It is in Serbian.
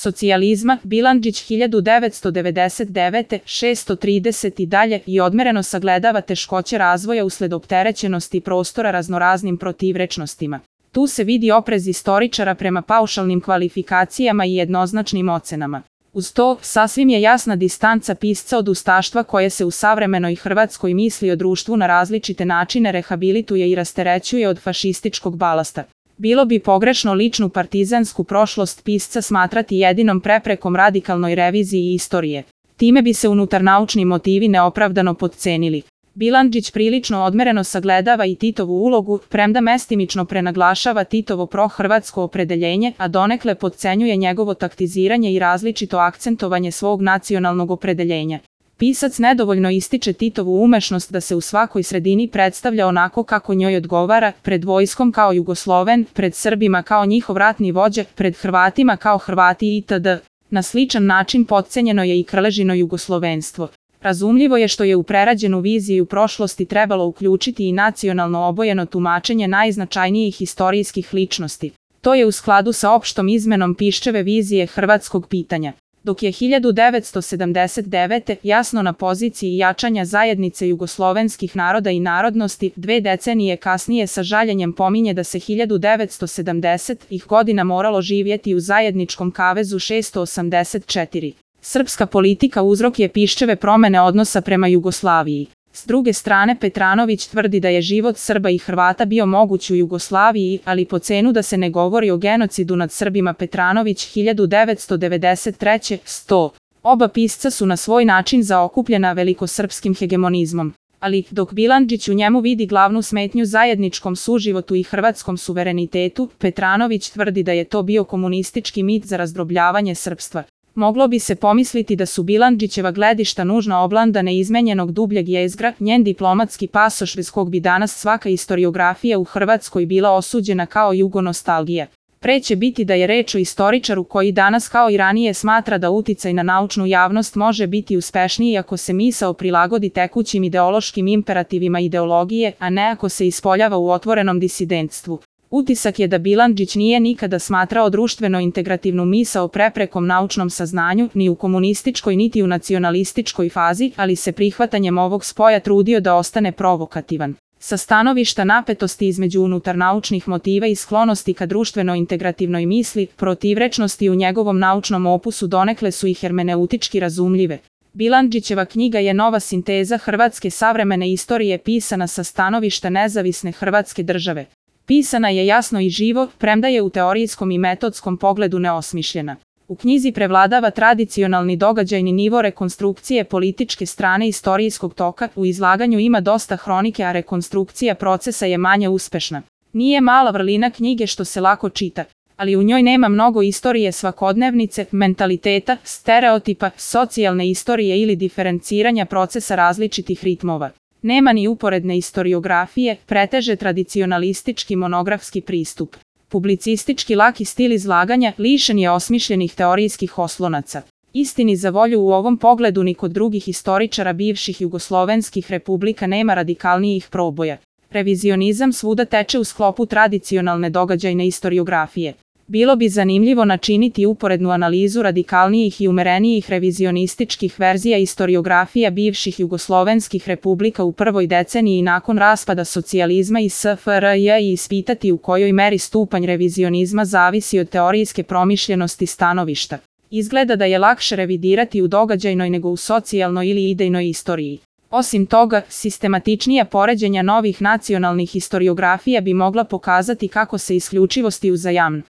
socijalizma, Bilandžić 1999. 630 i dalje i odmereno sagledava teškoće razvoja usled opterećenosti prostora raznoraznim protivrečnostima. Tu se vidi oprez istoričara prema paušalnim kvalifikacijama i jednoznačnim ocenama. Uz to, sasvim je jasna distanca pisca od ustaštva koje se u savremenoj Hrvatskoj misli o društvu na različite načine rehabilituje i rasterećuje od fašističkog balasta. Bilo bi pogrešno ličnu partizansku prošlost pisca smatrati jedinom preprekom radikalnoj reviziji istorije. Time bi se unutarnaučni motivi neopravdano potcenili. Bilandžić prilično odmereno sagledava i Titovu ulogu, premda mestimično prenaglašava Titovo prohrvatsko opredeljenje, a donekle potcenjuje njegovo taktiziranje i različito akcentovanje svog nacionalnog opredeljenja. Pisac nedovoljno ističe Titovu umešnost da se u svakoj sredini predstavlja onako kako njoj odgovara, pred vojskom kao Jugosloven, pred Srbima kao njihov ratni vođa, pred Hrvatima kao Hrvati itd. Na sličan način potcenjeno je i Krležino jugoslovenstvo. Razumljivo je što je u prerađenu viziju prošlosti trebalo uključiti i nacionalno obojeno tumačenje najznačajnijih istorijskih ličnosti. To je u skladu sa opštom izmenom Piščeve vizije hrvatskog pitanja. Dok je 1979. jasno na poziciji jačanja zajednice jugoslovenskih naroda i narodnosti, 2 decenije kasnije sa žaljenjem pominje da se 1970-ih godina moralo živjeti u zajedničkom kavezu 684. Srpska politika uzrok je Piščeve promene odnosa prema Jugoslaviji. S druge strane, Petranović tvrdi da je život Srba i Hrvata bio moguć u Jugoslaviji, ali po cenu da se ne govori o genocidu nad Srbima. Petranović 1993. 100. Oba pisca su na svoj način zaokupljena velikosrpskim hegemonizmom. Ali, dok Bilandžić u njemu vidi glavnu smetnju zajedničkom suživotu i hrvatskom suverenitetu, Petranović tvrdi da je to bio komunistički mit za razdrobljavanje srpstva. Moglo bi se pomisliti da su Bilandžićeva gledišta nužno oblanda neizmenjenog dubljeg jezgra, njen diplomatski pasoš bez kog bi danas svaka istoriografija u Hrvatskoj bila osuđena kao jugonostalgija. Pre će biti da je reč o istoričaru koji danas kao i ranije smatra da uticaj na naučnu javnost može biti uspešniji ako se misao prilagodi tekućim ideološkim imperativima ideologije, a ne ako se ispoljava u otvorenom disidentstvu. Utisak je da Bilandžić nije nikada smatrao društveno integrativnu misao preprekom naučnom saznanju, ni u komunističkoj niti u nacionalističkoj fazi, ali se prihvatanjem ovog spoja trudio da ostane provokativan. Sa stanovišta napetosti između unutarnaučnih motiva i sklonosti ka društveno integrativnoj misli, protivrečnosti u njegovom naučnom opusu donekle su i hermeneutički razumljive. Bilandžićeva knjiga je nova sinteza hrvatske savremene istorije pisana sa stanovišta nezavisne Hrvatske države. Pisana je jasno i živo, premda je u teorijskom i metodskom pogledu neosmišljena. U knjizi prevladava tradicionalni događajni nivo rekonstrukcije političke strane istorijskog toka, u izlaganju ima dosta hronike, a rekonstrukcija procesa je manje uspešna. Nije mala vrlina knjige što se lako čita, ali u njoj nema mnogo istorije svakodnevnice, mentaliteta, stereotipa, socijalne istorije ili diferenciranja procesa različitih ritmova. Nema ni uporedne istoriografije, preteže tradicionalistički monografski pristup. Publicistički laki stil izlaganja lišen je osmišljenih teorijskih oslonaca. Istini za volju u ovom pogledu ni kod drugih istoričara bivših jugoslovenskih republika nema radikalnijih proboja. Revizionizam svuda teče u sklopu tradicionalne događajne istoriografije. Bilo bi zanimljivo načiniti uporednu analizu radikalnijih i umerenijih revizionističkih verzija istoriografija bivših jugoslovenskih republika u prvoj deceniji nakon raspada socijalizma i SFRJ i ispitati u kojoj meri stupanj revizionizma zavisi od teorijske promišljenosti stanovišta. Izgleda da je lakše revidirati u događajnoj nego u socijalnoj ili idejnoj istoriji. Osim toga, sistematičnija poređenja novih nacionalnih istoriografija bi mogla pokazati kako se isključivosti uzajamno